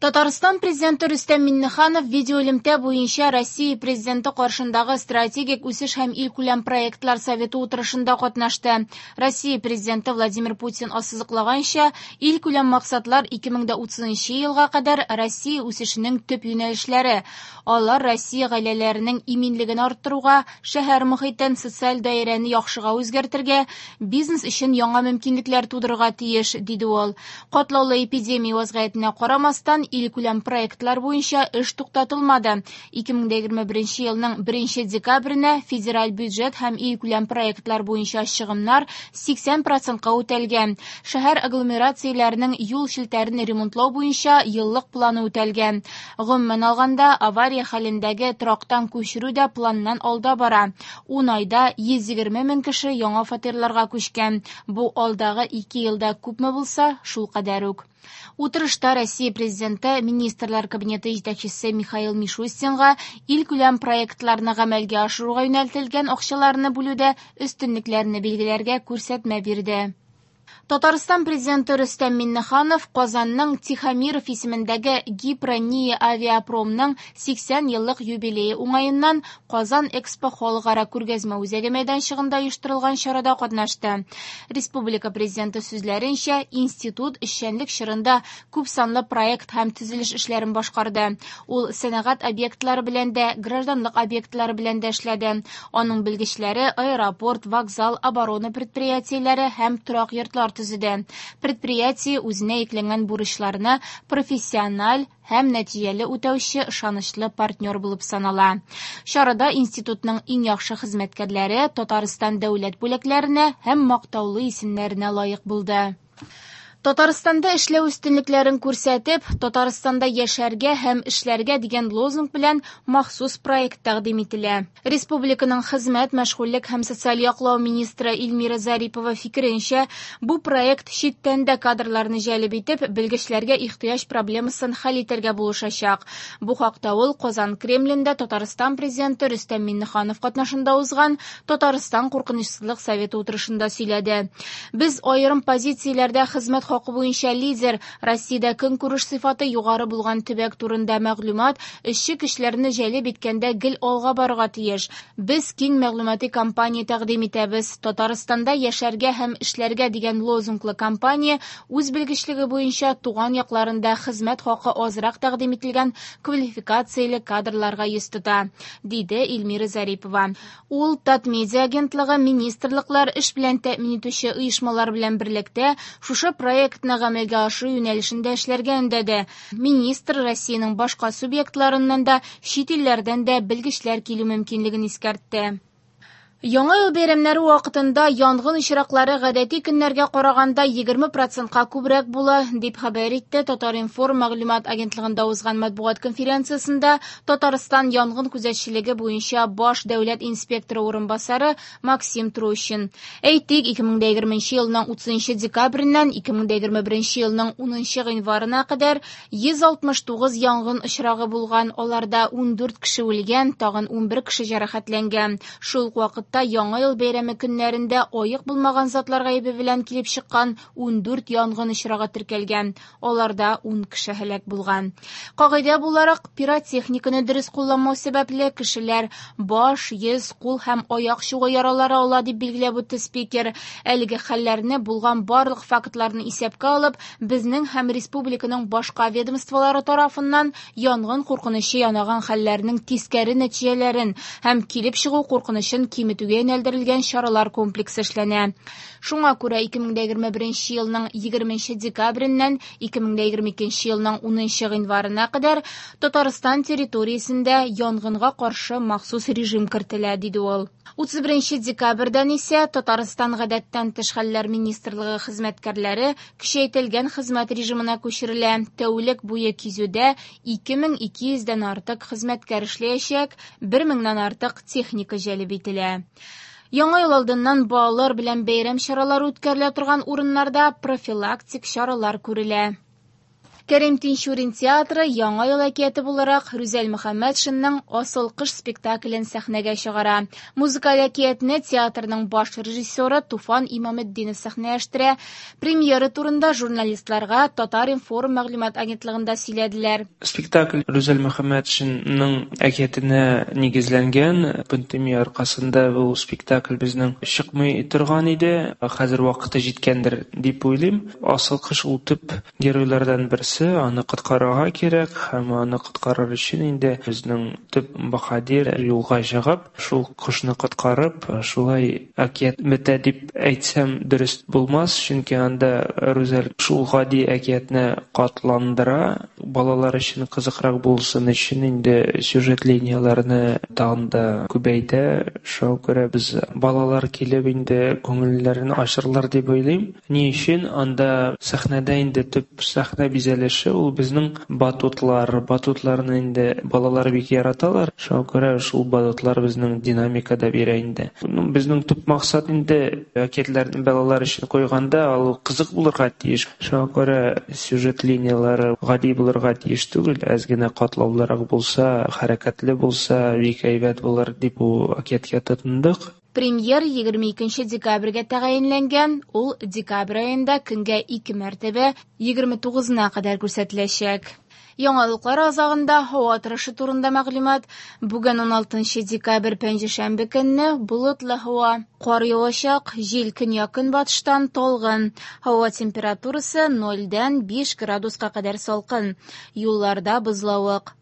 Татарстан Президенты Рөстәм Миңнеханов видеоэлемтә буенча Россия Президенты каршындагы Стратегик үсеш һәм илкүләм проектлар советы утырышында катнашты. Россия Президенты Владимир Путин ассызыклаганча, илкүләм максатлар 2030 елга кадәр Россия үсешенең төп юнәлешләре. Алар Россия гаиләләренең иминлеген арттыруга, шәһәр мохитен, социаль даирәне яхшыга үзгәртергә, бизнес өчен яңа мөмкинлекләр тудырырга тиеш, диде ул. Катлаулы эпидемия вазгыятенә карамастан, илкүләм проектлар буенча эш туктатылмады. 2021 елның 1 декабренә федераль бюджет һәм илкүләм проектлар буенча чыгымнар 80 процентка үтәлгән. Шәһәр агломерацияләренең юл челтәрен ремонтлау буенча еллык планы үтәлгән. Гомумән алганда, авария хәлендәге торактан күчерү дә планнан алда бара. 10 айда 120 мең кеше яңа фатирларга күчкән. Бу алдагы 2 елда күпме булса, шул кадәр үк. Утырышта Россия Президенты Министрлар Кабинеты җитәкчесе Михаил Мишустинга илкүләм проектларны гамәлгә ашыруга юнәлтелгән акчаларны бүлүдә өстенлекләрне билгеләргә күрсәтмә бирде. Татарстан Президенты Рөстәм Миңнеханов Казанның Тихомиров исемендәге Гипро-НИИ авиапромның 80 еллык юбилее уңаеннан Казан Экспо халыкара күргәзмә үзәге мәйданчыгында оештырылган чарада катнашты. Республика Президенты сүзләренчә, институт эшчәнлек чорында күпсанлы проект һәм төзелеш эшләрен башкарды. Ул сәнәгать объектлары белән дә, гражданлык объектлары белән дә эшләде. Аның белгечләре аэропорт, вокзал, оборона предприятиеләре һәм торак йортлар төзеде. Предприятие үзенә йөкләнгән бурычларны профессиональ һәм нәтиҗәле үтәүче ышанычлы партнер булып санала. Чарада институтның иң яхшы хезмәткәрләре Татарстан дәүләт бүләкләренә һәм мактаулы исемнәренә лаек булды. Татарстанда эшләү өстенлекләрен күрсәтеп, Татарстанда яшәргә һәм эшләргә дигән лозунг белән махсус проект тәкъдим ителә. Республиканың хезмәт, мәшгульлек һәм социаль яклау министры Эльмира Зарипова фикеренчә, бу проект читтән дә кадрларны җәлеп итеп, белгечләргә ихтыяҗ проблемасын хәл итәргә булышачак. Бу хакта ул Казан Кремлендә Татарстан Президенты Рөстәм Миңнеханов катнашында узган Татарстан куркынычсызлык советы утырышында сөйләде. Без аерым позицияләрдә хезмәт хакы буенча лидер, Россиядә көнкүреш сыйфаты югары булган төбәк турында мәгълүмат эшче көчләрне җәлеп иткәндә гел алга барырга тиеш. Без киң мәгълүмати кампания тәкъдим итәбез. Татарстанда яшәргә һәм эшләргә дигән лозунглы кампания үз белгечлеге буенча туган якларында хезмәт хакы азрак тәкъдим ителгән квалификацияле кадрларга йөз тота, диде Эльмира Зарипова. Ул Татмедиа агентлыгы, министрлыклар, эш белән тәэмин итүче оешмалар белән берлектә шушы проектны гамәлгә ашыру юнәлешендә эшләргә өндәде. Министр Россиянең башка субъектларыннан да, чит илләрдән дә белгечләр килү мөмкинлеген искәртте. Яңа ел бәйрәмнәре вакытында янгын очраклары гадәти көннәргә караганда егерме процентка күбрәк була, дип хәбәр итте Татар-информ мәгълүмат агентлыгында узган матбугат конференциясендә Татарстан янгын күзәтчелеге буенча баш дәүләт инспекторы урынбасары Максим Трощин. Әйтик, ике мең дә егерменче елның утызынчы декабреннән ике мең дә егерме беренче елның унынчы гыйнварына кадәр йөз алтмыш тугыз янгын очрагы булган, аларда ундүрт кеше үлгән, тагын унбер кеше җәрәхәтләнгән. Шул ук вакытта Яңа ел бәйрәме көннәрендә аек булмаган затлар гаебе белән килеп чыккан ундүрт янгын очрагы теркәлгән, аларда ун кеше һәлак булган. Кагыйдә буларак, пиротехниканы дөрес кулланмау сәбәпле кешеләр баш, йөз, кул һәм аяк чугы яралары ала, дип билгеләп үтте спикер. Әлеге хәлләрне булган барлык фактларны исәпкә алып, безнең һәм республиканың башка ведомстволары тарафыннан янгын куркынычы янаган хәлләрнең тискәре нәтиҗәләрен һәм килеп чыгу куркынычын киметүгә юнәлдерелгән чаралар комплексы эшләнә. Шуңа күрә ике мең дә егерме беренче елның егерменче декабреннән ике мең дә егерме икенче елның унынчы гыйнварына кадәр Татарстан территориясендә янгынга каршы махсус режим кертелә, диде ул. Утыз беренче декабрьдән исә Татарстан гадәттән тыш хәлләр министрлыгы хезмәткәрләре көчәйтелгән хезмәт режимына күчерелә. Тәүлек буе кизүдә ике мең ике йөздән артык хезмәткәр эшләячәк, бер меңнән артык техника җәлеп ителә. Яңа ел алдыннан балалар белән бәйрәм чаралары үткәрелә торган урыннарда профилактик чаралар күрелә. Кәрим Тинчурин театры Яңа ел әкияте буларак Рүзәл Мөхәммәтшинның «Асыл кош» спектаклен сәхнәгә чыгара. Музыкаль әкиятне театрның баш режиссеры Туфан Имаметдинов сәхнәләштерә. Премьера турында журналистларга Татар-информ мәгълүмат агентлыгында сөйләделәр. Спектакль Рүзәл Мөхәммәтшинның әкиятенә нигезләнгән. Пандемия аркасында бу спектакль безнең чыкмый торган иде. Хәзер вакыты җиткәндер дип уйлыйм. Асыл кош ул төп геройлардан берсе, аны коткарырга кирәк һәм аны коткарыр өчен инде безнең төп баһадир юлга чыгып, шул кошны коткарып, шулай әкият бетә дип әйтсәм дөрес булмас, чөнки анда Рүзәл шул гади әкиятне катландыра, балалар өчен кызыкрак булсын өчен инде сюжет линияләрне тагын да күбәйтә. Шуңа күрә без балалар килеп инде күңелләрен ачырлар дип уйлыйм. Ни өчен анда сәхнәдә инде төп сәхнә бизәлеше ул безнең батутлар. Батутларны инде балалар бик яраталар. Шуңа күрә шул батутлар безнең динамика да бирә инде. Безнең төп максат инде әкиятләрне балалар өчен куйганда ул кызык булырга тиеш. Шуңа күрә сюжет линияләре гади булырга тиеш түгел, әз генә катлаулырак булса, хәрәкәтле булса, бик әйбәт булыр дип бу әкияткә тотындык. Премьер 22 декабрьгә тәгаенләнгән, ул декабрь аенда көнгә 2 мәртәбә 29-на кадәр күрсәтеләчәк. Яңалыклар азагында һава торышы турында мәгълүмат. Бүген 16 декабрь пәнҗешәмбе көнне болытлы һава. Кар явачак, җил көньяк-көнбатыштан талгын. Һава температурасы 0-дән 5 градуска кадәр салкын. Юлларда бозлавык.